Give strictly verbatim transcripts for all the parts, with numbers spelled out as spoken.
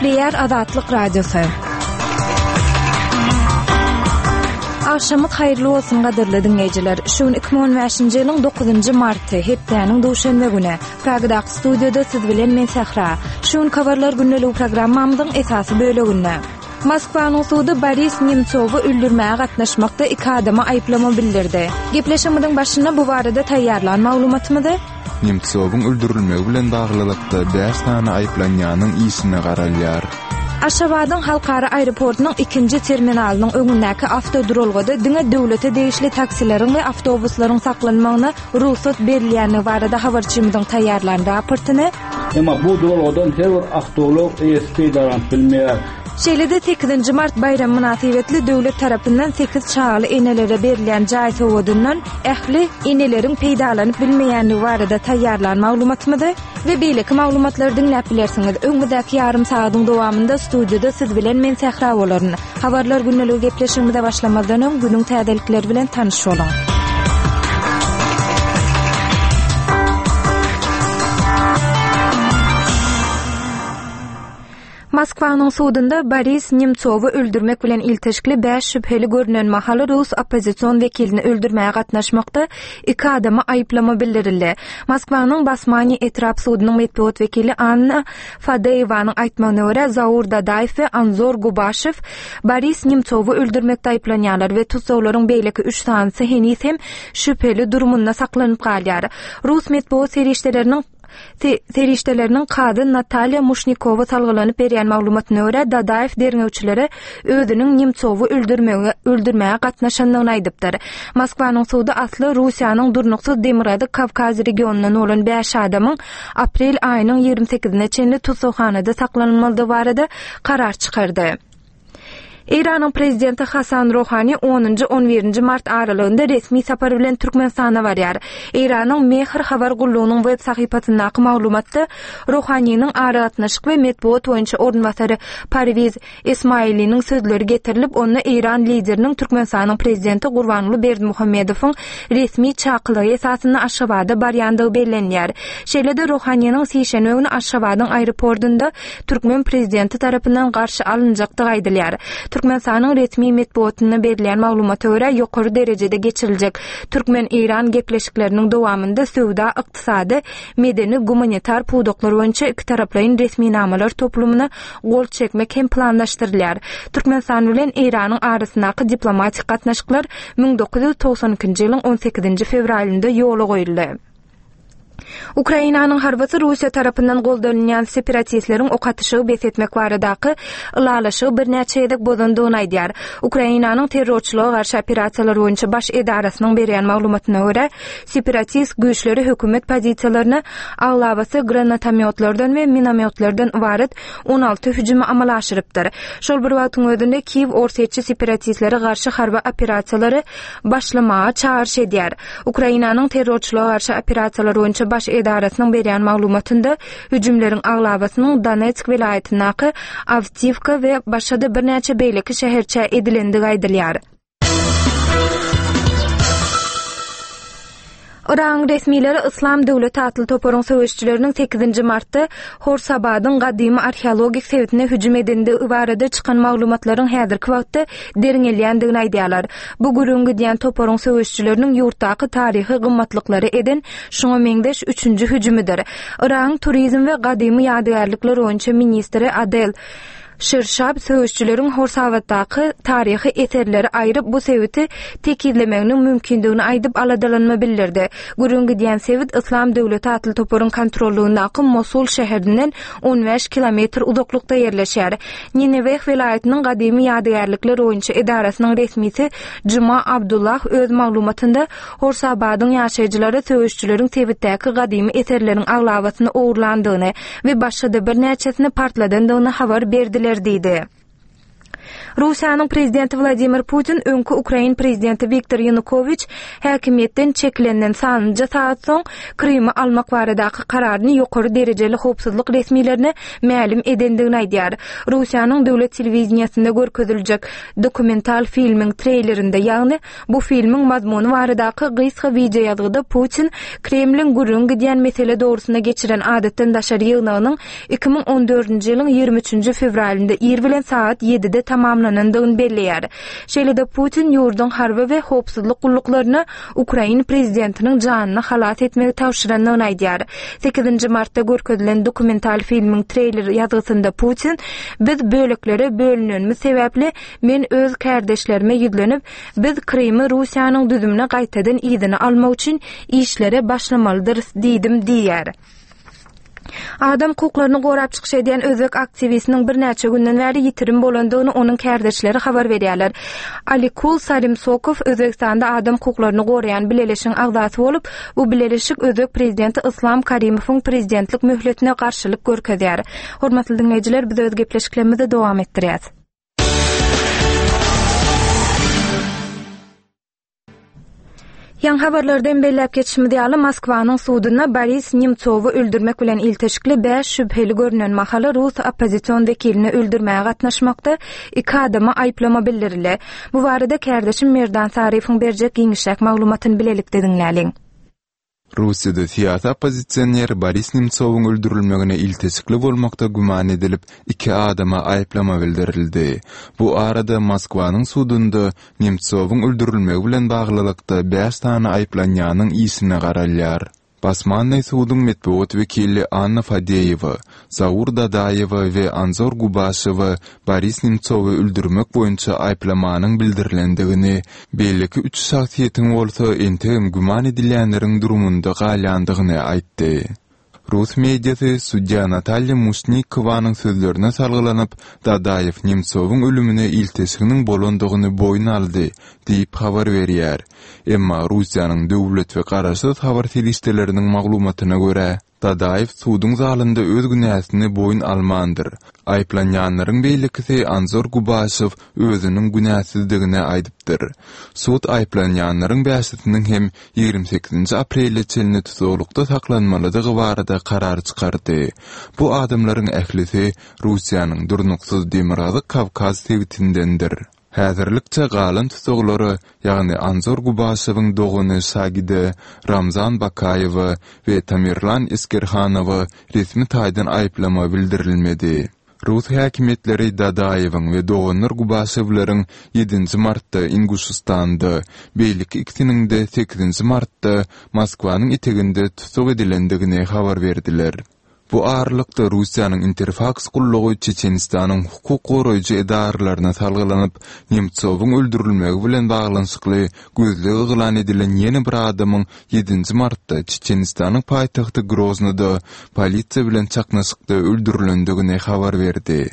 Gepleýär Azatlyk Radiosy. Agşamyz haýyrly bolsun gadyrly diňleýjiler. Şu gün iki müň on bäşinji ýylyň dokuzynjy marty, hepdäniň duşenbe güni. Pragadaky studiýada siz bilen men Sähra. Şu gün habarlar gündeligi programmamyzyň esasy böleginde. Moskwanyň sudy Boris Nemtsowy öldürmäge gatnaşmakda iki adama aýyplama bildirdi. Gepleşigimiziň başynda bu barada taýýarlan maglumatymyzy Nemtsowyň öldürilmegi bilen baglylykda bäş sany aýyplanýanyň işine garalýar. Aşgabadyň halkara aeroportunyň ikinji terminalynyň öňündäki awtoduralgada diňe döwlete degişli taksileriň we awtobuslaryň saklanmagyna rugsat berilýändigi barada habarçymyzyň taýýarlan raportyny Emma bu duralgadan her bir awtoulag eýesi peýdalanyp bilmeýär. Şeýle-de sekizinji mart baýram mynasybetli döwlet tarapyndan sekiz çagaly enelere berilýän jaý sowgadyndan ähli eneleriň peýdalanyp bilmeýändigi barada taýýarlan maglumatymyzy we beýleki maglumatlary diňläp bilersiňiz. Öňümizdäki ýarym sagadyň dowamynda studiýada siz bilen men Sähra bolaryn. Habarlar gündeligi gepleşigimize başlamazdan öň günüň täzelikleri bilen tanyş boluň. Moskwanyň sudunda Boris Nemtsowy öldürmek bilen ilteşikli bäş şübheli görünen mahaly Rus oppozision wekilini öldürmäge gatnaşmakda iki adama aýyplama bildirildi. Moskwanyň Basmani etrap sudunyň metbugat wekili Anna Fadeýewanyň aýtmagyna görä Zaur Dadaýew we Anzor Gubaşew Boris Nemtsowy öldürmekde aýyplanýarlar we tussaglaryň beýleki üç sanysy heniz hem şübheli durumunda saklanyp galýar. Rus metbugat serişdeleriniň Se-, serişdeleriniň kazy Natalýa Muşnikowa salgylanyp berýän maglumatyna görä Dadaýew derňewçilere özüniň Nemtsowy öldürmege, öldürmäge gatnaşandygyny aýdypdyr. Moskwanyň sudy asly Russiýanyň durnuksyz Demirgazyk Kawkaz regionyndan bolan bäş adamyň aprel aýynyň ýigrimi sekizine çenli tussaghanada saklanylmalydygy barada karar çykardy. Eýranyň prezidenti Hasan Rohani onunjy on birinji mart aralygynda resmi sapar bilen Türkmenistana barýar. Eýranyň Mehr habar gullugynyň web sahypasyndaky maglumatda Rohaniniň aragatnaşyk we metbugat boýunça orunbasary Parwiz Ismailiniň sözleri getirilip, onda Eýran lideriniň Türkmenistanyň prezidenti Gurbanguly Berdimuhamedowyň resmi çakylygy esasynda Aşgabada barýandygy bellenýär. Şeýle-de Rohaniniň sişenbe güni Aşgabadyň aeroportunda Türkmen prezidenti tarapyndan garşy alynjakdygy aýdylýar. Türkmenistanyň resmi metbugatynda berilýän maglumata görä ýokary derejede geçiriljek Türkmen-Eýran gepleşikleriniň dowamynda söwda, ykdysady, medeni, gumanitar pudaklar boýunça iki taraplaýyn resminamalar toplumyna gol çekmek hem planlaşdyrylýar. Türkmenistan bilen Eýranyň arasyndaky diplomatik gatnaşyklar müň dokuz ýüz togsan ikinji ýylyň on sekizinji fewralynda ýola goýuldy. Ukrainanyň harbysy Russiýa tarapyndan goldanylýan separatistleriň ok atyşygy bes etmek baradaky ylalaşygy birnäçe gezek bozandygyny aýdýar. Ukrainanyň terrorçylyga garşy operasiýalar boýunça baş edarasynyň berýän maglumatyna görä, separatist güýçleri hökümet pozisiýalaryna aglabasy granatomyotlardan we minomyotlardan ybarat on alty hüjümi amala aşyrypdyr. Şol bir wagtyň özünde Kiýew orsýetçi separatistlere garşy harby operasiýalary başlamaga çagyryş edýär. Ukrainanyň terrorçylyga garşy operasiýalar boýunça baş edarasynyň berýän maglumatynda hüjümleriň aglabasynyň Donetsk welaýatyndaky Awdiýewka we başga-da birnäçe beýleki şäherçä edilendigi aýdylýar. Yragyň resmileri Islam döwleti atly toparyň söweşçileriniň sekizinji martda Horsabadyň gadymy arheologik sebitine hüjüm edendigi barada çykan maglumatlaryň häzirki wagtda derňelýändigini aýdýarlar. Bu gürrüň gidýän toparyň söweşçileriniň ýurtdaky taryhy gymmatlyklary eden şoňa meňzeş üçünji hüjümidir. Yragyň turizm we gadymy ýadygärlikler boýunça ministri Adel Şirşab söweşçileriň Horsabatdaky taryhy eserleri aýryp bu sebiti tekizlemeginiň mümkindigini aýdyp aladalanma bildirdi. Gürrüň gidýän sebit Islam döwleti atly toparyň kontrollugyndaky Mosul şäherinden on bäş kilometr uzaklykda ýerleşýär. Nineveh welaýatynyň gadymy ýadygärlikler boýunça edarasynyň resmisi Juma Abdullah öz maglumatynda Horsabadyň ýaşaýjylary söweşçileriň sebitdäki gadymy eserleriň aglabasyny ogurlandygyny we başga-da birnäçesini partladandygyny habar berdiler diýdi. Russiýanyň prezidenti Wladimir Putin öňki ukrain prezidenti Wiktor Ýanukowiç häkimiýetden çekilenden sanlyja sagat soň Krymy almak baradaky kararyny ýokary derejeli howpsuzlyk resmilerine mälim edendigini aýdýar. Russiýanyň döwlet telewideniýesinde görkeziljek dokumental filmiň treýlerinde, ýagny bu filmiň mazmuny baradaky gysga wideoýazgyda Putin Kremliň gürrüňi gidýän mesele dogrusynda geçiren adatdan daşary ýygnagynyň iki müň on dördünji ýylyň ýigrimi üçünji fewralynda ir bilen sagat ýedide tamamlanandygyny belleýär. Şeýle-de Putin ýurduň harby we howpsuzlyk gulluklaryna ukrain prezidentiniň janyny halas etmegi tabşyrandygyny aýdýar. Sekizinji martda görkezilen dokumental filmiň treýler ýazgysynda Putin Biz böleklere bölünenimiz sebäpli men öz kärdeşlerime ýüzlenip, biz Krymy Russiýanyň düzümine gaýtadan yzyna almak üçin işlere başlamalydyrys diýdim diýýär. Adam hukuklaryny gorap çykyş edýän özbek aktiwistiniň birnäçe günden bäri ýitirim bolandygyny onuň kärdeşleri habar berýärler. Alikul Sarimsokow Özbegistanda adam hukuklaryny goraýan bileleşigiň agzasy bolup, bu bileleşik özbek prezidenti Yslam Karimowyň prezidentlik möhletine garşylyk görkezýär. Hormatly diňleýjiler, biz öz gepleşiklerimizi dowam etdirýäs. Ýaňy habarlardan belläp geçişimiz ýaly, Moskwanyň sudunda Boris Nemtsowy öldürmek bilen ilteşikli bäş şübheli görünen mahaly rus oppozision wekilini öldürmäge gatnaşmakda iki adama aýyplama bildirildi. Bu barada kärdeşim Merdan Saryýewiň berjek giňişräk maglumatyny bilelikde diňläliň. Russiýada syýasy oppozisioner Boris Nemtsowyň öldürilmegine ilteşikli bolmakda güman edilip, iki adama aýyplama bildirildi. Bu arada Moskwanyň sudunda Nemtsowyň öldürilmegi bilen baglylykda bäş sany aýyplanýanyň işine garalýar. Basmannyý suduň metbugat wekili Anna Fadeýewa, Zaur Dadaýewa we Anzor Gubaşewa Boris Nemtsowy öldürmek boýunça aýyplamanyň bildirilendigini, beýleki üç şahsyýetiň bolsa entegem güman edilýänleriň durumynda galýandygyny aýtdy. Rus mediasy sudýa Natalýa Muşnikowanyň sözlerine salgylanyp, Dadaýew Nemtsowyň ölümine ilteşiginiň bolandygyny boýun aldy diýip habar berýär. Emma Russiýanyň döwlet we garaşsyz habar serişdeleriniň maglumatyna görä, Dadaýew suduň zalynda öz günäsini boýun almandyr. Aýyplanýanlaryň beýlekisi Anzor Gubaşew özüniň günäsizdigini aýdypdyr. Sud aýyplanýanlaryň bäşisiniň hem ýigrimi sekizinji aprele çenli tutuklykda saklanmalydygy barada karar çykardy. Bu adamlaryň ählisi Russiýanyň durnuksyz Demirgazyk Kawkaz sebitindendir. Häzirlikçe galan tussaglara, ýagny Anzor Gubaşewiň dogany Şagide, Ramzan Bakaýewa we Tamerlan Eskerhanowa resmi taýdan aýyplama bildirilmedi. Rus häkimiýetleri Dadaýewiň we doganlar Gubaşewleriň ýedinji martda Inguşystanda, beýleki ikisiniň-de sekizinji martda Moskwanyň eteginde tussag edilendigini habar berdiler. Bu aralykda Russiýanyň Interfaks gullugy Çeçenistanyň hukuk goraýjy edaralaryna salgylanyp, Nemtsowyň öldürilmegi bilen baglanyşykly gözleg yglan edilen ýene bir adamyň ýedinji martda Çeçenistanyň paýtagty Groznyda polisiýa bilen çaknyşykda öldürilendigini habar berdi.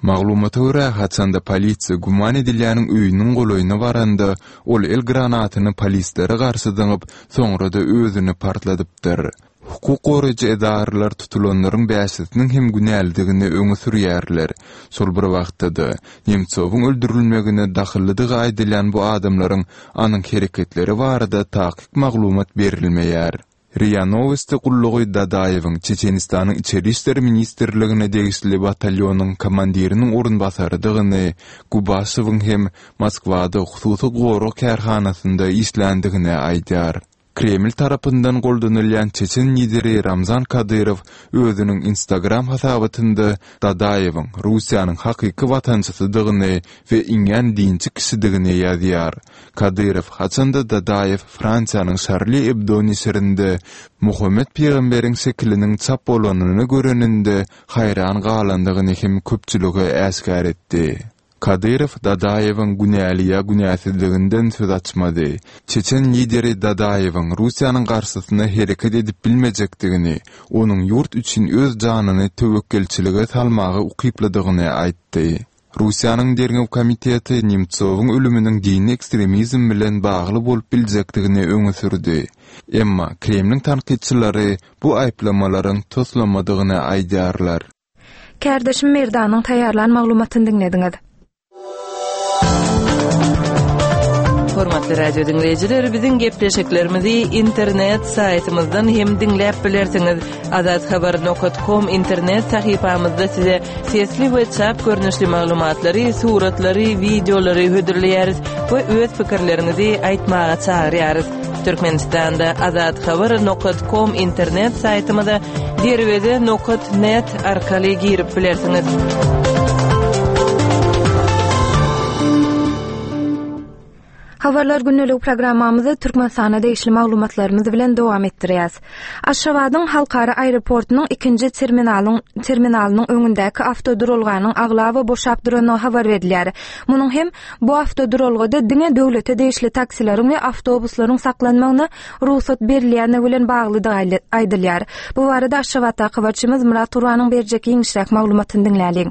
Maglumata görä, haçanda polisiýa güman edilýäniň öýüniň golaýyna baranda, ol el granatyny polislere garşy zyňyp, soňra-da özüni partladypdyr. Hukuk goraýjy edaralar tutulanlaryň bäşisiniň hem günälidigini öňe sürýärler. Şol bir wagtda-da, Nemtsowyň öldürilmegine dahyllydygy aýdylýan bu adamlaryň anyk hereketleri barada takyk maglumat berilmeýär. RIA Nowosti gullugy Dadaýewiň Çeçenistanyň Içeri işler ministrligine degişli batalýonyň komandiriniň orunbasarydygyny, Gubaşewiň hem Moskwada hususy gorag kärhanasynda işländigini aýdýar. Kreml tarapyndan goldanylýan çeçen lideri Ramzan Kadyrow özüniň Instagram hasabatynda Dadaýewiň Russiýanyň hakyky watançysydygyny we iňňän dinçi kişidigini ýazýar. Kadyrow haçanda Dadaýew Fransiýanyň Şarli Ebdo neşirinde Muhammet pygamberiň şekiliniň çap bolanyny göreninde haýran galandygyny hem köpçülige äşgär etdi. Kadyrow Dadaýewiň günäli ýa günäsizliginden söz açmady. Çeçen lideri Dadaýewiň Russiýanyň garşysyna hereket edip bilmejekdigini, onuň ýurt üçin öz janyny töwekgelçilige salmaga ukyplydygyny aýtdy. Russiýanyň Derňew komiteti Nemtsowyň ölüminiň dini ekstremizm bilen bagly bolup biljekdigini öňe sürdi. Emma Kremliň tankytçylary bu aýyplamalaryň toslamadygyny aýdýarlar. Kärdeşim Merdanyň taýýarlan maglumatyny diňlediňiz. Hormatly radio dinleýjiler, biziň gepleşiklerimizi internet saýtymyzdan hem diňläp bilersiňiz. Azathabar nokta com internet sahypamyzda size sesli we çap görnüşli maglumatlary, suratlary, wideolary hödürleýäris we öz pikirleriňizi aýtmaga çagyrýarys. Türkmenistanda azathabar nokta com internet saýtymyza derweze nokta net arkaly girip bilersiňiz. Habarlar günlük programmamyzy Türkmenistana degişli maglumatlarymyz bilen dowam etdirýäs. Aşgabadyň halkara aeroportunyň ikinji terminalyň terminalynyň öňündäki awtoduralganyň aglaba boşap duranyny habar berilýär. Munuň hem bu awtoduralgada diňe döwlete degişli taksileriň we awtobuslaryň saklanmagyna rugsat berilýäni bilen baglydygy aýdylýar. Bu barada Aşgabatdaky habarçymyz Murat Turbanyň berjek giňişräk maglumatyny diňläliň.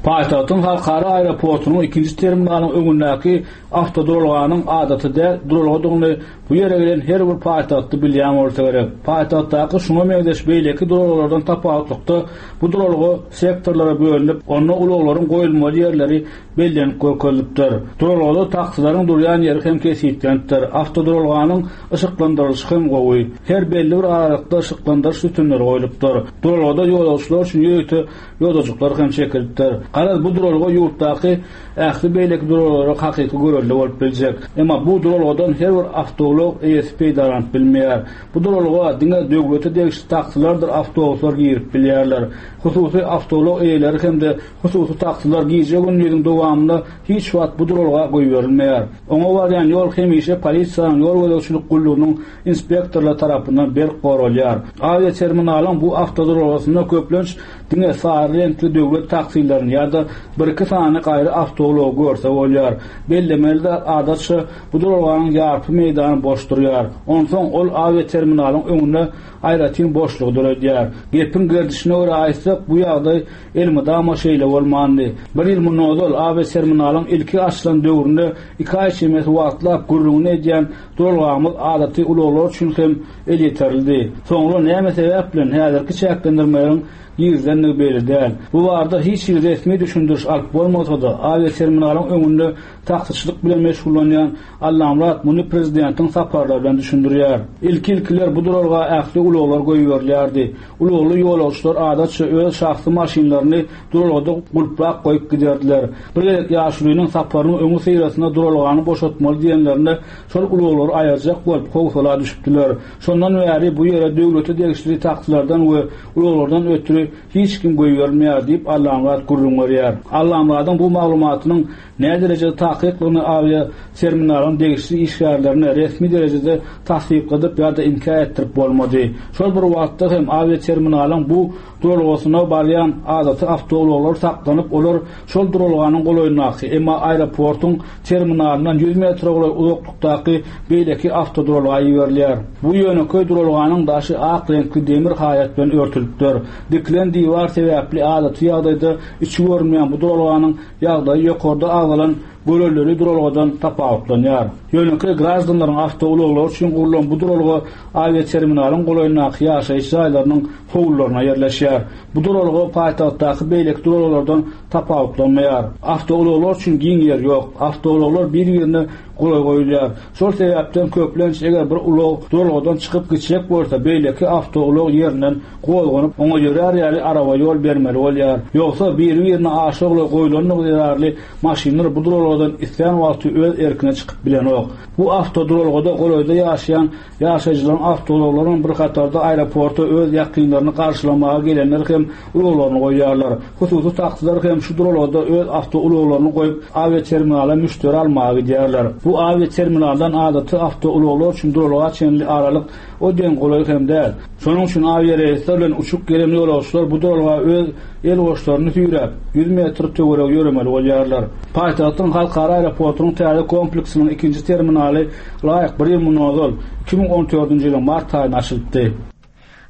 Paýtagtyň halkara aeroportunyň ikinji terminalynyň öňündäki awtoduralganyň adaty däl duralgadygyny bu ýere gelen her bir paýtagtly bilýän bolsa gerek. Paýtagtdaky şuňa meňzeş beýleki duralgalardan tapawutlykda bu duralga sektorlara bölünip, onda ulaglaryň goýulmaly ýerleri bellenip görkezilipdir. Duralgada taksileriň durýan ýeri hem kesgitlenipdir. Awtoduralganyň yşyklandyrylyşy hem gowy. Her belli bir aralykda yşyklandyryş sütünleri goýlupdyr. Duralgada ýolagçylar üçin ýörite ýodajyklar hem çekilipdir. Garaz bu duralga ýurtdaky ähli beýleki duralgalara hakyky görelde bolup biljek. Emma bu duralgadan her bir awtoulag eýesi peýdalanyp bilmeýär. Bu duralga diňe döwlete degişli taksilerdir awtobuslar girip bilýärler. Hususy awtoulag eýeleri hem-de hususy taksiler gije gündiziň dowamynda hiç wagt bu duralga goýberilmeýär. Oňa barýan ýol hemişe polisiýanyň ýol gözegçilik gullugynyň inspektorlary tarapyndan berk goralýar. Awiaterminalyň bu awtoduralgasynda köplenç diňe sary reňkli döwlet taksilerini ýa-da bir iki sany gaýry awtoulagy görse bolýar. Bellemeli adatça bu duralganyň ýarpy meýdany boş durýar. Onsoň ol awiaterminalyň öňünde aýratyn boşlugy döredýär. Gepiň gerdişine görä aýtsak, bu ýagdaý elmydama şeýle bolmandy. Bir ýyl mundan ozal awiaterminalyň ilki açylan döwründe iki aý çemesi wagtlap gürrüňini edýän duralgamyz adaty ulaglar üçin hem elýeterlidi. Soňra näme sebäp bilen häzirki çäklendirmeleriň girizilendigi belli däl. Bu barada hiç bir resmi düşündiriş alyp bolmasa-da, awiaterminalyň öňünde taksiçilik bilen meşgullanýan Allamrat muny prezidentiň saparlary bilen düşündirýär. Ilki-ilkiler bu duralga ähli ulaglar goýberilýärdi. Ulagly ýolagçylar adatça öz şahsy maşynlaryny duralgada gulplap goýup giderdiler. Bir gezek ýaşulynyň saparynyň öňi syrasynda duralgany boşatmaly diýenlerinde şol ulaglary aýyrjak bolup howsala düşüpdiler. Şondan bäri bu ýere döwlete degişli taksilerden we ulaglardan ötri hiç kim goýberilmeýär diýip Allamrat gürrüň berýär. Allamradyň bu maglumatynyň näderejede derejede takyklygyny awiaterminalyň degişli işgärlerine resmi derejede tassykladyp ýa-da inkär etdirip bolmady. Şol bir wagtda hem awiaterminalyň bu duralgasyna barýan adaty awtoulaglar saklanyp, olar şol duralganyň golaýyndaky, emma aeroportuň terminalyndan ýüz metre golaý uzaklykdaky beýleki awtoduralga iberilýär. Bu ýönekeý duralganyň daşy ak reňkli demir haýat bilen örtülipdir. Dikilen diwar sebäpli adaty ýagdaýda içi görünmeýän bu duralganyň ýagdaýy ýokarda agzalan görelleri duralgadan tapawutlanýar. Ýönekeý grajdanlaryň awtoulaglary üçin gurlan bu duralga awiaterminalyň golaýyndaky ýaşaýyş jaýlarynyň howlularyna ýerleşýär. Bu duralga paýtagtdaky beýleki duralgalardan tapawutlanmaýar. Awtoulaglar üçin giň ýer ýok. Awtoulaglar bir-birine golaý goýulýar. Şol sebäpden köplenç eger bir ulag duralgadan çykyp gitjek bolsa, beýleki awtoulag ýerinden gozganyp, oňa ýörär ýaly araba ýol bermeli bolýar. Ýogsa biri-birine aşa golaý goýulandygy zerarly maşynlar bu duralgadan islän wagty öz erkine çykyp bilenok. Bu awtoduralgada golaýda ýaşaýan ýaşaýjylaryň awtoulaglarynyň bir hatarda aeroporta öz ýakynlaryny garşylamaga gelenler hem ulaglaryny goýýarlar. Hususy taksiler hem şu duralgada öz awtoulaglaryny goýup awiaterminala müşderi almaga gidýärler. Bu awiaterminaldan adaty awtoulaglar üçin duralga çenli aralyk o deň golaý hem däl. Şonuň üçin awiareýsler bilen uçup gelen ýolagçylar bu duralga öz el goşlaryny süýräp ýüz metr töweregi ýöremeli bolýarlar. Paýtagtyň halkara aeroportunyň täze kompleksiniň ikinji terminaly laýyk bir ýyl mundan ozal iki müň on dördünji ýylyň mart aýynda açylypdy.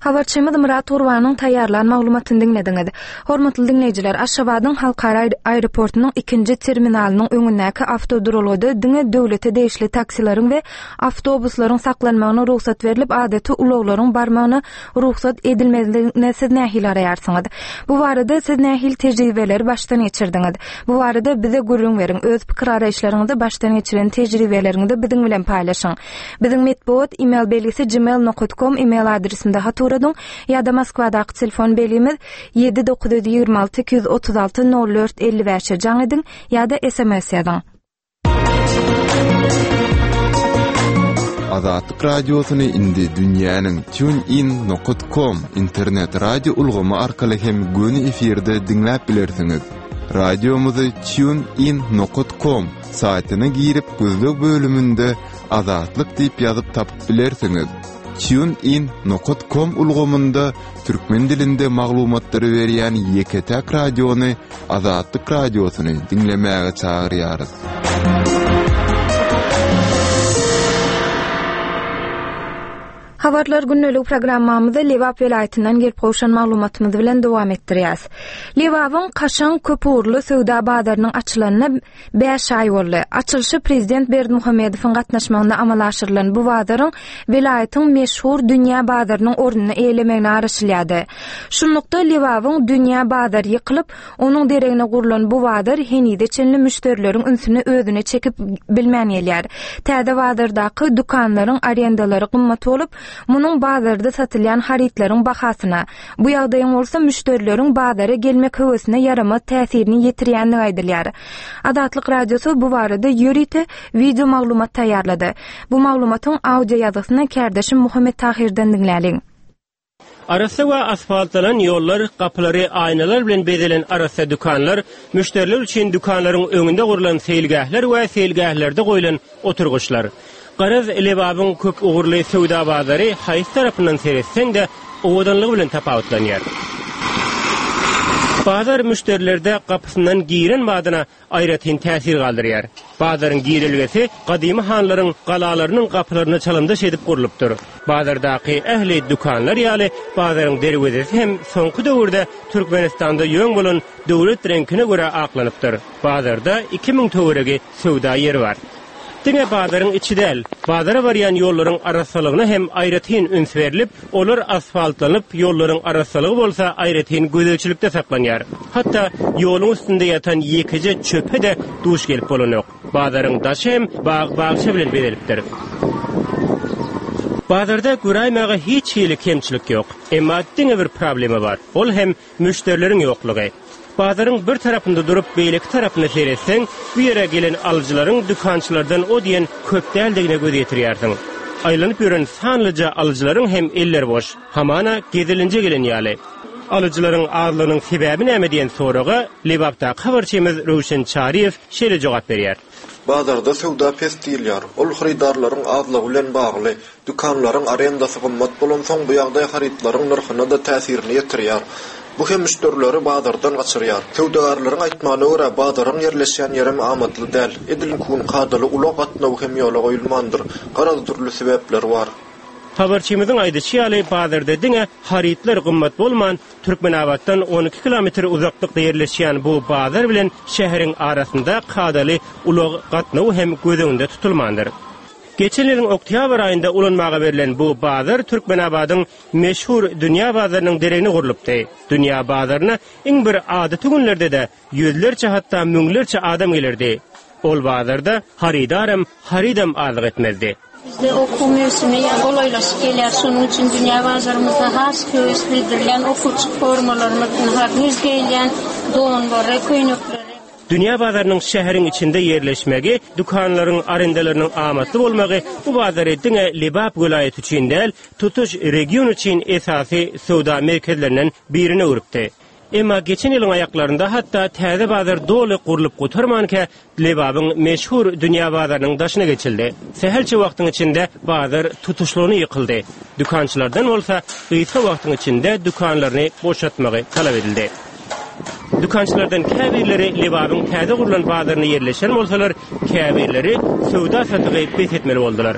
Habarçymyz Myrat Gurbanyň taýýarlan maglumatyny diňlediňiz. Hormatly diňleýjiler, Aşgabadyň halkara aeroportunyň ikinji terminalynyň öňündäki awtoduralgada diňe döwlete degişli taksileriň we awtobuslaryň saklanmagyna rugsat berlip, adaty ulaglaryň barmagyna rugsat edilmezligine siz nähili garaýarsyňyz? Bu barada siz nähili tejribeleri başdan geçirdiňiz? Bu barada bize gürrüň beriň. Öz pikir garaýyşlaryňyzy, başdan geçiren tejribeleriňizi biziň bilen paýlaşyň. Biziň metbugat e-mail belgisi gmail nokta com e-mail adresinde hat ugradyň ýa-da Moskwadaky telefon belgimiz ýedi dokuz ýüz ýigrimi alty iki ýüz otuz alty nol dört elli bäşe jaň ediň ýa-da S M S ýazyň. Azatlyk radiosyny indi dünýäniň TuneIn nokta com internet radio ulgamy arkaly hem göni efirde diňläp bilersiňiz. Radiomyzy TuneIn nokta com saýtyna girip gözleg bölüminde Azatlyk diýip ýazyp tapyp bilersiňiz. TuneIn nokta com ulgamynda türkmen dilinde maglumatlary berýän ýeke-täk radiony Azatlyk radiosyny diňlemäge çagyrýarys. Habarlar gündelik programmamyzy Lebap welaýatyndan gelip gowşan maglumatymyz bilen dowam etdirýäs. Lebabyň kaşaň köpugurly söwda bazarynyň açylanyna bäş aý boldy. Açylyşy Prezident Berdimuhamedowyň gatnaşmagynda amala aşyrylan bu bazaryň welaýatyň meşhur dünýä bazarynyň ornuny eýelemegine garaşylýardy. Şunlukda Lebabyň dünýä bazary ýykylyp, onuň deregine gurlan bu bazar henize çenli müşderileriň ünsüni özüne çekip bilmän gelýär. Täze bazardaky dükanlaryň arendalary gymmat bolup, munuň bazarda satylýan harytlaryň bahasyna, bu ýagdaýyň bolsa müşderileriň bazara gelmek höwesine ýaramaz täsirini ýetirýändigi aýdylýar. Azatlyk Radiosy bu barada ýörite video maglumat taýýarlady. Bu maglumatyň audio ýazgysyny kärdeşim Muhammet Tahirden diňläliň. Arassa we asfaltlanan ýollar, gapylary aýnalar bilen bezelen arassa dükanlar, müşderiler üçin dükanlaryň öňünde gurlan seýilgähler we seýilgählerde goýlan oturgyçlar. Garaz Lebabyň köp ugurly söwda bazary haýsy tarapyndan seretseň-de owadanlygy bilen tapawutlanýar. Bazar müşderilerde gapysyndan giren badyna aýratyn täsir galdyrýar. Bazaryň girelgesi gadymy hanlaryň galalarynyň gapylaryna çalymdaş edip gurlupdyr. Bazardaky ähli dükanlar ýaly bazaryň derwezesi hem soňky döwürde Türkmenistanda ýöň bolan döwlet reňkine görä aklanypdyr. Bazarda iki müň töweregi söwda ýeri bar. Diňe bazaryň içi däl, bazara barýan ýollaryň arassalygyna hem aýratyn üns berlip, olar asfaltlanyp, ýollaryň arassalygy bolsa aýratyn gözegçilikde saklanýar. Hatda ýoluň üstünde ýatan ýekeje çöpe de duş gelip bolanok. Bazaryň daşy hem bag-bagça bilen bezelipdir. Bazarda göräýmäge hiç hili kemçilik ýok. Emma diňe bir problema bar. Ol hem müşderileriň ýoklugy. Bazaryň bir tarapynda durup, beýleki tarapyna seretseň, bu ýere gelen alyjylaryň dükançylardan o diýen köp däldigine göz ýetirýärsiň. Aýlanyp ýören sanlyja alyjylaryň hem elleri boş. Hamana gezelinje gelen ýaly. Alyjylaryň azlygynyň sebäbi näme diýen soraga Lebapdaky habarçymyz Röwşen Çaryýew şeýle jogap berýär. Bazarda söwda pes diýilýär. Ol hyrydarlaryň azlygy bilen bagly. Dükanlaryň arendasy gymmat bolansoň bu ýagdaý harytlaryň nyrhyna da täsirini ýetirýär. Bu hem müşderileri bazardan gaçyrýar. Söwdagärleriň aýtmagyna görä bazaryň ýerleşýän ýeri amatly däl. Edil kun kadaly ulag gatnawy hem ýola goýulmandyr. Garaz dürli sebäpler bar. Habarçymyzyň aýdyşy ýaly bazarda diňe harytlar gymmat bolman, Türkmenabatdan on iki kilometr uzaklykda ýerleşýän bu bazar bilen şäheriň arasynda kadaly ulag gatnawy hem göz öňünde tutulmandyr. Geçen ýylyň oktýabr aýynda ulanmaga berlen bu bazar Türkmenabadyň meşhur dünýä bazarynyň deregine gurlupdy. Dünýä bazaryna iň bir adaty günlerde-de ýüzlerçe hatda müňlerçe adam gelerdi. Ol bazarda harydaram, harydam azlyk etmezdi. Bizde okuw mewsimi golaýlaşyp gelýär. Şonuň üçin dünýä bazarymyzda has höwes bildirilýän okuwçy formalarymyz, güýz geýilýän donlary, köýnekleri. Dünýä bazarynyň şäheriň içinde ýerleşmegi, dükanlaryň arendalarynyň amatly bolmagy bu bazary diňe Lebap welaýaty üçin däl, tutuş region üçin esasy söwda merkezlerinden birine öwrüpdi. Emma geçen ýylyň aýaklarynda hatda täze bazar doly gurlup gutarmanka Lebabyň meşhur dünýä bazarynyň daşyna geçildi. Sähelçe wagtyň içinde bazar tutuşlygyny ýykyldy. Dükançylardan bolsa gysga wagtyň içinde dükanlaryny boşatmagy talap edildi. Dükançylardan käbirleri Lebabyň täze gurlan bazaryna ýerleşen bolsalar, käbirleri söwda satygy bes etmeli boldular.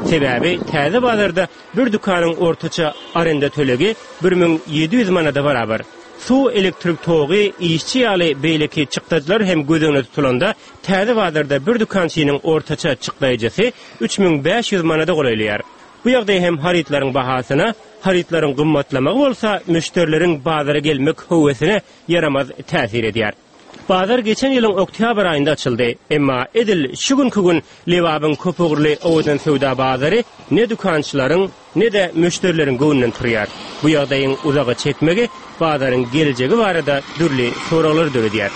Sebäbi täze bazarda bir dükanyň ortaça arenda tölegi bir müň ýedi ýüz manada barabar. Suw, elektrik togy, işçi ýaly beýleki çykdajylar hem göz öňünde tutulanda täze bazarda bir dükançynyň ortaça çykdajysy üç müň bäş ýüz manada golaýlaýar. Bu ýagdaý hem harytlaryň bahasyna, harytlaryň gymmatlamagy bolsa müşderileriň bazara gelmek höwesine ýaramaz täsir edýär. Bazar geçen ýylyň oktyabr aýynda açyldy. Emma edil şu günki gün Lebabyň köpugurly owadan söwda bazary ne dükançylaryň, ne-de müşderileriň göwnünden turýar. Bu ýagdaýyň uzaga çekmegi bazaryň geljegi barada dürli soraglary döredýär.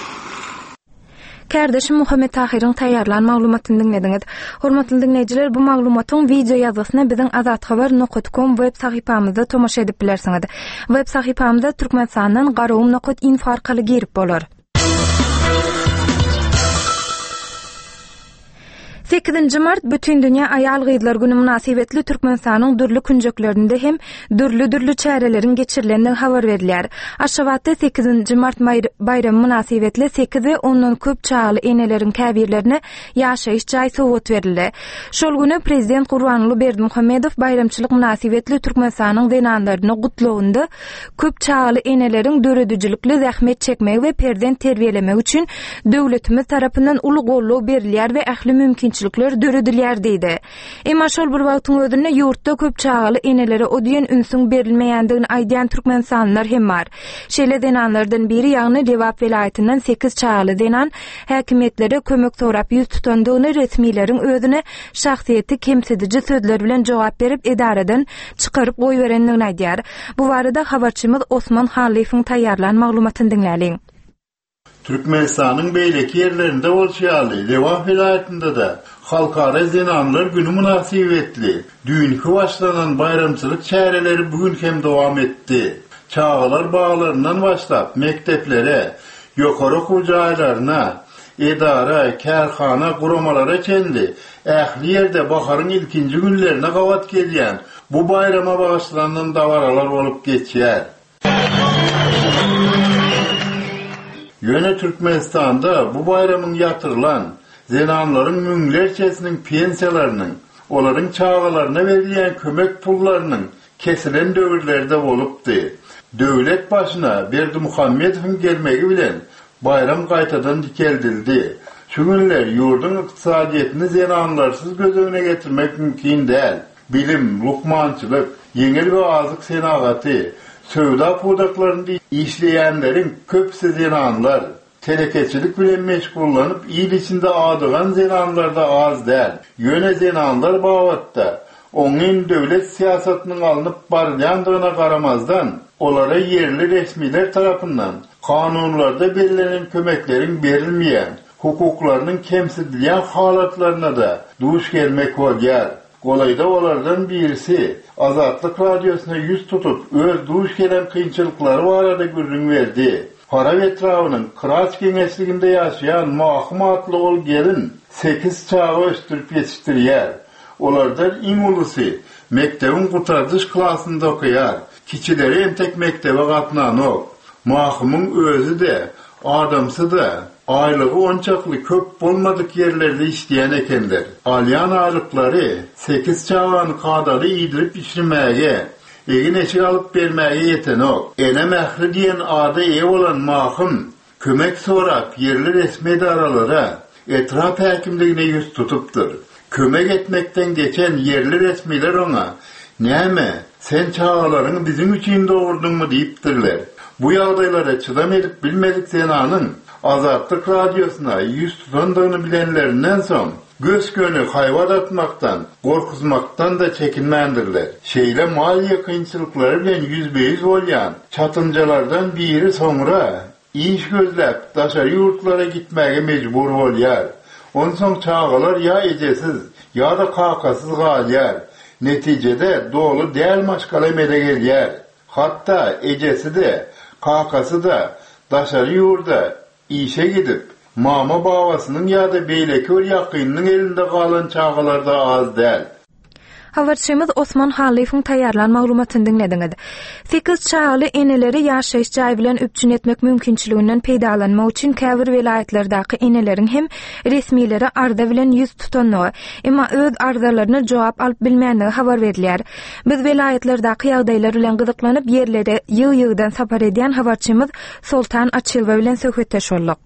Kardeşim Muhammed Tahirin taýýarlan maglumatyny diňlediňiz. Hormatly diňleýjiler, bu maglumatyň video ýazgysyna biziň azathabar nokta com web sahypamyzda tomaşa edip bilersiňiz. Web sahypamyzda Türkmenistandan garagum nokta info arkaly girip bolar. Sekizinji mart Bütün Dünýä Aýal Gyzlar Günü mynasybetli Türkmenistanyň dürli künjeklerinde hem dürli-dürli çäreleriň geçirilendigi habar berilýär. Aşgabatda sekizinji mart baýramy mynasybetli sekiz we ondan köp çagaly eneleriň käbirlerine ýaşaýyş jaý sowgat berildi. Şol güni Prezident Gurbanguly Berdimuhamedow baýramçylyk mynasybetli Türkmenistanyň zenanlaryny gutlagynda köp çagaly eneleriň döredijilikli zähmet çekmegi we perzent terbiýelemegi üçin döwletimiz tarapyndan uly goldaw berilýär we ähli mümkinçilikler döredilýär diýdi. Emma şol bir wagtyň özünde ýurtda köp çagaly enelere o diýen ünsüň berilmeýändigini aýdýan türkmenistanlylar hem bar. Şeýle zenanlardan biri, ýagny Lebap welaýatyndan sekiz çagaly zenan häkimiýetlere kömek sorap ýüz tutandygyny resmileriň özüne şahsyýeti kemsidiji sözler bilen jogap berip edaradan çykaryp goýberendigini aýdýar. Bu barada habarçymyz Osman Halyfowyň taýýarlan maglumatyny diňläliň. Türkmenistanyň beýleki ýerlerinde bolşy ýaly, Lebap welaýatynda da Halkara Zenanlar Günü mynasybetli düýnki başlanan baýramçylyk çäreleri bugün hem dowam etdi. Çagalar baglaryndan başlap mekdeplere, ýokary okuw jaýlaryna, edara, kärhana, guramalara çenli ähli ýerde baharyň ilkinji günlerine gabat gelýän bu baýrama bagyşlanan dabaralar bolup geçýär. Ýöne Türkmenistanda bu baýramyň ýatyrylan zenanlaryň müňlerçesiniň pensiýalarynyň, olaryň çagalaryna berilýän kömek pullarynyň kesilen döwürlerde bolupdy. Döwlet başyna Berdimuhamedowyň gelmegi bilen bayram gaýtadan dikeldildi. Şu günler ýurduň ykdysadyýetini zenanlarsyz göz öňüne getirmek mümkin däl. Bilim, lukmançylyk, ýeňil we azyk senagaty, söwda pudaklarynda işleýänleriň köpüsi zenanlar. Telekeçilik bilen meşgullanyp il içinde adygan zenanlar da az däl. Ýöne zenanlar babatda oňyn döwlet syýasatynyň alnyp barylýandygyna garamazdan, olara ýerli resmiler tarapyndan kanunlarda bellenen kömekleriň berilmeýän, hukuklarynyň kemsidilýän halatlaryna da duş gelmek bolýar. Golaýda olardan birisi Azatlyk radiosyna ýüz tutup, öz duş gelen kynçylyklary barada gürrüň berdi. Farap etrabynyň Kıraç geňeşliginde ýaşaýan Mahym atly ol gelin sekiz çaga ösdürip ýetişdirýär. Olardan iň ulusy mekdebiň gutardyş klasynda okaýar. Kiçileri entek mektebe gatnanok. Mahymyň özi de, adamsy da aýlygy onçakly köp bolmadyk ýerlerde işleýän ekenler. Alýan aýlyklary sekiz çagany kadaly iýdirip içirmäge, egin eşik alyp bermäge ýetenok. Ene mähri diýen ada eýe bolan Mahym kömek sorap ýerli resmi edaralara, etrap häkimligine ýüz tutupdyr. Kömek etmekden geçen ýerli resmiler oňa "Näme, sen çagalaryňy biziň üçin dogurdyňmy?" diýipdirler. Bu ýagdaýlara çydam edip bilmedik zenanyň Azatlyk radiosyna ýüz tutandygyny bilenlerinden soň gös-göni haýbat atmakdan, gorkuzmakdan da çekinmändirler. Şeýle maliýe kynçylyklary bilen ýüzbe-ýüz bolýan çatynjalardan biri soňra iş gözläp daşary ýurtlara gitmäge mejbur bolýar. Onsoň çagalar ýa ejesiz, ýa-da kakasyz galýar. Netijede doly däl maşgala emele gelýär. Hatda ejesi de, kakasy da daşary ýurda işe gidip, mama babasynyň ýa-da beýleki bir ýakynynyň elinde galan çagalar da az däl. Habarçymyz Osman Halyfowyň taýýarlan maglumatyny diňlediňiz. Sekiz çagaly eneleri ýaşaýyş jaý bilen üpjün etmek mümkinçiliginden peýdalanmak üçin käbir welaýatlardaky eneleriň hem resmilere arza bilen ýüz tutandygy, emma öz arzalaryna jogap alyp bilmänligi habar berilýär. Biz welaýatlardaky ýagdaýlar bilen gyzyklanyp ýerlere ýygy-ýygydan sapar edýän habarçymyz Soltan Açylba bilen söhbetdeş bolduk.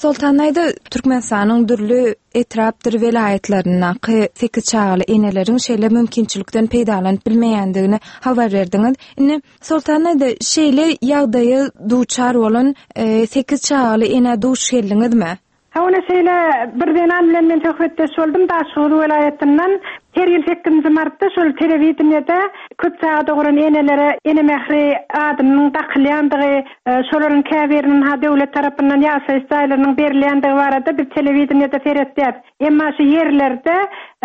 Soltan aýda Türkmenistanyň dürli etrapdyr welaýatlaryndaky sekiz çagaly eneleriň şeýle mümkinçilikden peýdalanyp bilmeýändigini habar berdiňiz. Indi Soltan aýda şeýle ýagdaýa duçar bolan, e, sekiz çagaly ene duş geldiňizmi? Ha, ona şeýle bir zenan bilen men söhbetdeş boldum Daşoguz welaýatyndan. Her ýyl sekizinji martda şol telewideniýede köp çaga dogran enelere ene mähri adynyň dakylýandygy, e, şolaryň käbiriniň ha döwlet tarapyndan ýaşaýyş jaýlarynyň berilýändigi barada biz telewideniýede seretýäs. Emma şu ýerlerde,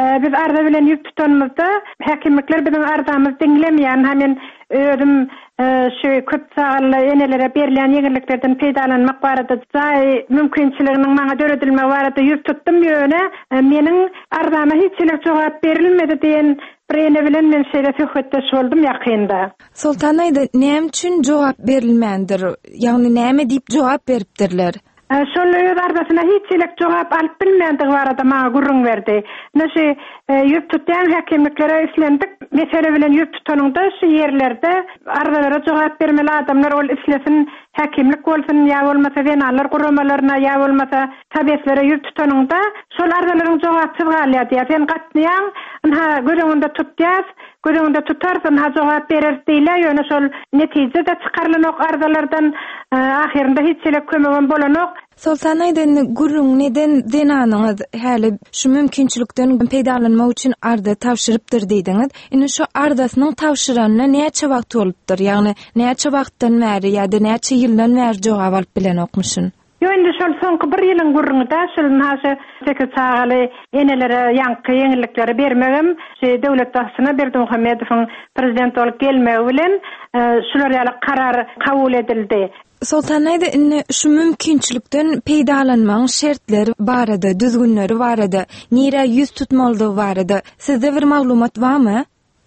e, biz arza bilen ýüz tutanymyzda häkimlikler biziň arzamyzy diňlemeýän. Ha men özüm, e, şu köp çagaly enelere berilýän ýeňilliklerden peýdalanmak barada jaý mümkinçiliginiň maňa döredilmegi barada ýüz tutdum, ýöne, e, meniň arzama hiç hili jogap berilmedi diýen bir ene bilen men şeýle söhbetdeş boldum ýakynda. Soltan aýda näme üçin jogap berilmändir? Ýagny näme diýip jogap beripdirler? E, şol öz arzasyna hiç hili jogap alyp bilmändigi barada maňa gürrüň berdi. Näşe, e, ýüz tutýan häkimliklere islendik mesele bilen ýüz tutanyňda şu ýerlerde arzalara jogap bermeli adamlar ol islesin häkimlik bolsun ýa bolmasa zenanlar guramalaryna ýa bolmasa tabeslere ýüz tutanyňda şol arzalaryň jogapsyz galýar diýär. Sen gatnaýaň, ynha göz öňünde tutýas, göz öňünde tutarsyň, ha jogap berer diýilýär, ýöne şol netije-de çykarylanok arzalardan, e, ahyrynda hiç hili kömegem bolanok. Soltan aýda indi gürrüň neden zenanyňyz häli şu mümkinçilikden peýdalanmak üçin arza tabşyrypdyr diýdiňiz. Indi şu arzasynyň tabşyranyna näçe wagt bolupdyr? Ýagny näçe wagtdan bäri ýa-da näçe ýyldan bäri jogap alyp bilenokmyşyn? Ýo, indi şol soňky bir ýylyň gürrüňi-de, şol naşy sekiz çagaly enelere ýaňky ýeňillikleri bermegem, şu döwlet başçysyna Berdimuhamedowyň prezident bolup gelmegi bilen, e, şular ýaly karar kabul edildi. Soltan aýda indi şu mümkinçilikden peýdalanmagyň şertleri barada, düzgünleri barada, nirä ýüz tutmalydygy barada sizde bir maglumat barmy?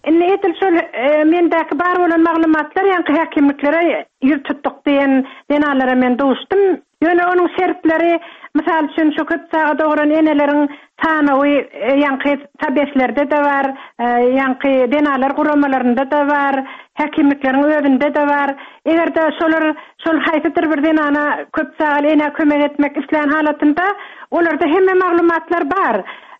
Indi edil şol, e, mendäki bar bolan maglumatlar ýaňky häkimliklere ýüz tutduk diýen zenanlara men duşdum. Ýöne onuň şertleri, mysal üçin şu köp çaga dogran eneleriň sanawy, e, ýaňky tabeslerde-de bar, e, ýaňky zenalar guramalarynda-da bar, häkimlikleriň özünde-de bar. Eger-de şolar şol haýsydyr bir zenana köp çagaly enä kömek etmek islän halatynda olarda hemme maglumatlar bar.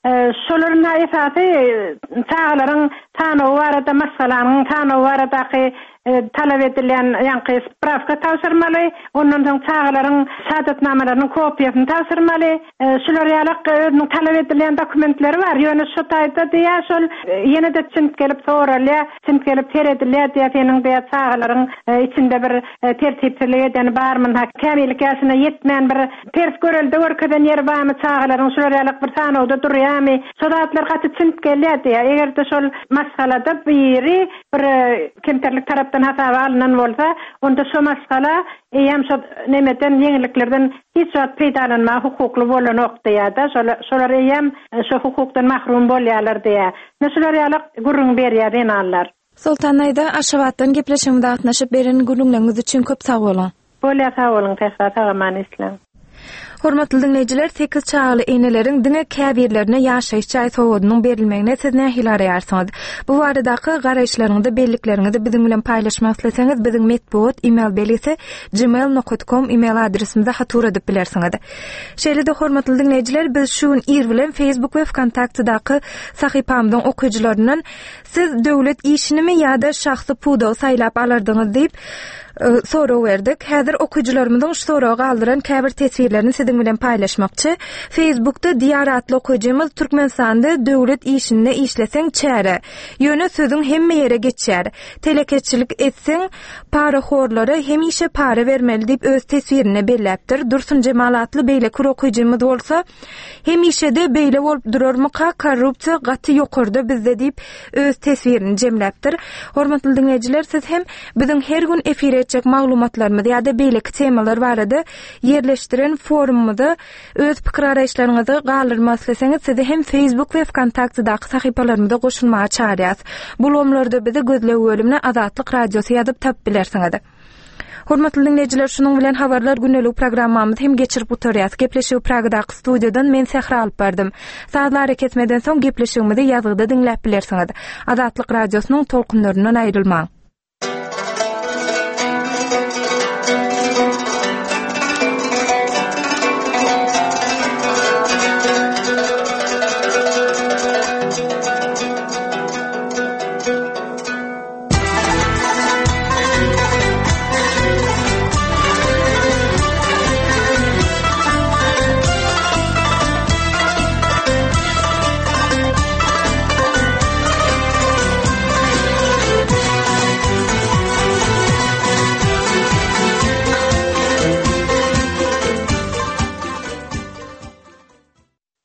E, şolaryň esasy, e, çagalaryň sanawy barada, maşgalanyň sanawy baradaky, e, talap edilýän ýaňky spravka tabşyrmaly, ondan soň çagalaryň şahadatnamalarynyň kopiýasyny tabşyrmaly. E, şular ýaly özüniň talap edilýän dokumentleri bar. Ýöne şu taýda diýä şol, e, ýene-de çint gelip soralýar, çint gelip seredilýär diýä seniň diýä çagalaryň, e, içinde bir, e, tertipsizlik edeni barmy, ha, kämillik ýaşyna ýetmän bir ters görelde görkezen ýeri barmy çagalaryň şular ýaly bir sanawda durýarmy? Şo zatlar gaty çint gelýär diýä. Eger-de şol maşgalada biri bir, e, kemterlik tarapdan hasaba alynan bolsa, onda şo maşgala eýem şo nemeden ýeňilliklerden hiç wagt peýdalanmaga hukukly bolanok diýä-de, şolar, şolar eýem şo hukukdan mahrum bolýarlar diýä. Ne şular ýaly gürrüň berýär zenanlar. Soltan aýda Aşgabatdan gepleşigimize gatnaşyp beren gürrüňleriňiz üçin köp sag boluň. Bolýar, sag boluň, Sähra, sag aman işläň. Hormatly dinleýjiler, sekiz çagaly eneleriň diňe käbirlerine ýaşaýyş jaý sowgadynyň berilmegine siz nähili araýarsyňyz? Bu baradaky garaýyşlaryňyzy, bellikleriňizi biziň bilen paýlaşmak isleseňiz, biziň metbugat e-mail belgisi gmail nokta com e-mail adresimize hat ugradyp bilersiňiz. Şeýle-de hormatly dinleýjiler, biz şu gün ir bilen Facebook we Vkontaktedaky sahypamyzyň okyjylaryndan siz döwlet işinimi ýa-da şahsy pudagy saýlap alardyňyz diýip, e, sorag berdik. Häzir okyjylarymyzyň şu soragy galdyran käbir teswirlerini siziň bilen paýlaşmakçy. Facebookda Diýar atly okyjymyz Türkmenistanda döwlet işinde işleseň çäre. Ýöne sözüň hemme ýere geçýär. Telekeçilik etseň parahorlara hemişe para bermeli diýip öz teswirine belläpdir. Dursun Jemal atly beýleki okyjymyz bolsa hemişe de beýle bolup durarmyka korrupsiýa gaty ýokarda bizde diýip öz teswirini jemläpdir. Hormatly dinleýjiler, siz hem biziň her gün efire etjek maglumatlarymyz ýa-da beýleki temalar barada ýerleşdiren forumymyza öz pikir garaýyşlaryňyzy galdyrmak isleseňiz, sizi hem Facebook we VKontaktedaky sahypalarymyza goşulmaga çagyrýas. Bu ulgamlarda bizi gözleg bölümine Azatlyk Radiosy ýazyp tapyp bilersiňiz. Hormatly diňleýjiler, şunuň bilen habarlar gündelik programmamyzy hem geçirip gutarýas. Gepleşigi Pragadaky studiýadan men Sähra alyp bardym. Sazly arakesmeden soň gepleşigimizi ýazgyda diňläp bilersiňiz. Azatlyk Radiosynyň tolkunlaryndan aýrylmaň.